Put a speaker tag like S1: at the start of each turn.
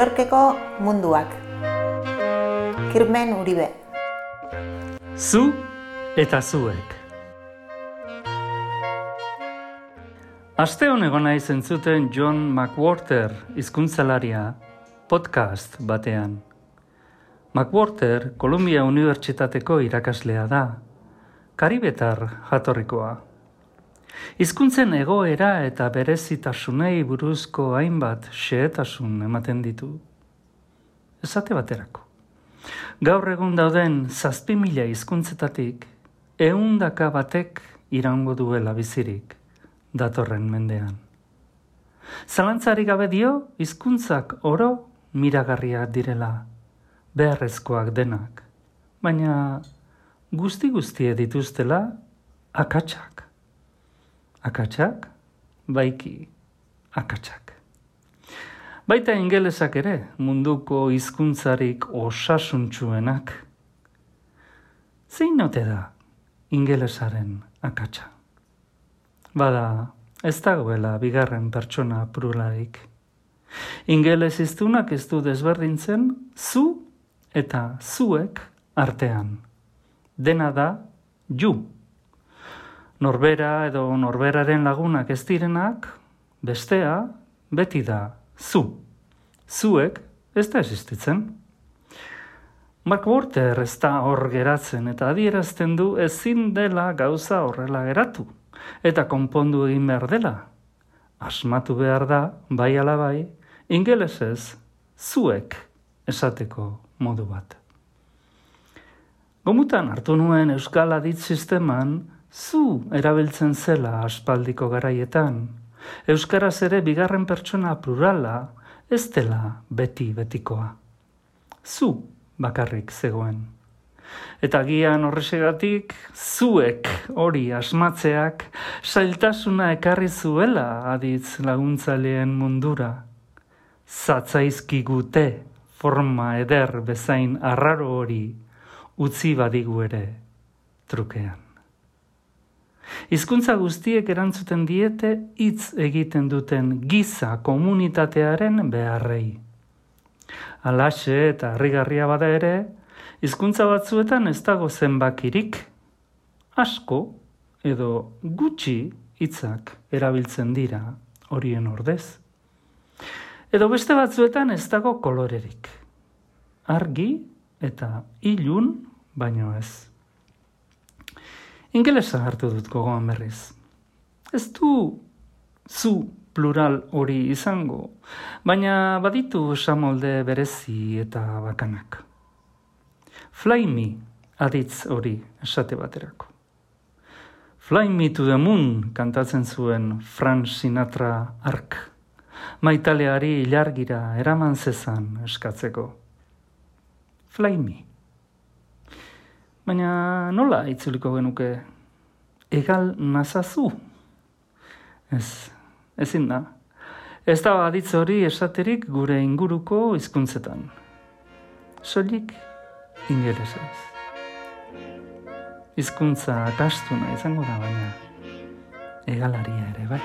S1: Yorkeko munduak. Kirmen Uribe.
S2: Zu eta zuek. Aste honego naiz entzuten John McWhorter hizkuntzalaria podcast batean. McWhorter Columbia Unibertsitateko irakaslea da, karibetar jatorrikoa. Hizkuntzen egoera eta berezitasunei buruzko hainbat xehetasun ematen ditu. Esate baterako. Gaur egun dauden 7.000 hizkuntzetatik 100 batek iraungo duela bizirik datorren mendean. Zalantzarik gabe dio, hizkuntzak oro miragarriak direla, beharrezkoak denak, baina guzti-guztie dituztela akatsak. Akatsak, baiki akatsak. Baita ingelesak ere, munduko hizkuntzarik osasuntsuenak. Zein ote da ingelesaren akatsa? Bada, ez dagoela bigarren pertsona pluralik. Ingeles hiztunak ez du desberdintzen zu eta zuek artean. Dena da you. Norbera edo norberaren lagunak ez direnak, bestea beti da zu. Zuek ez da existitzen. McWhorter ez da hor geratzen eta adierazten du ezin dela gauza horrela geratu eta konpondu egin behar dela. Asmatu behar da, bai ala bai, ingelesez zuek esateko modu bat. Gomutan hartu nuen Euskal Aditz sisteman zu erabiltzen zela aspaldiko garaietan. Euskaraz ere bigarren pertsona plurala ez dela beti-betikoa. Zu bakarrik zegoen. Eta gian horrexegatik zuek hori asmatzeak zailtasuna ekarri zuela aditz laguntzaileen mundura. Zatzaizkigute forma eder bezain arraro hori utzi badigu ere trukean. Hizkuntza guztiek erantzuten diete hitz egiten duten giza komunitatearen beharrei. Halaxe eta harrigarria bada ere, hizkuntza batzuetan ez dago zenbakirik, asko edo gutxi hitzak erabiltzen dira horien ordez. Edo beste batzuetan ez dago kolorerik. Argi eta ilun baino ez. Ingelesa hartu dut gogoan berriz. Ez du zu plural hori izango, baina baditu esamolde berezi eta bakanak. Fly me aditz hori esate baterako. Fly me to the moon kantatzen zuen Frank Sinatra hark. Maitaleari ilargira eraman zezan eskatzeko. Fly me. Baina nola itzuliko genuke? Egal nazazu? Ezin da. Ez da aditz hori esaterik gure inguruko hizkuntzetan. Soilik ingelesez. Hizkuntza akastuna izango da baina egalaria ere bai.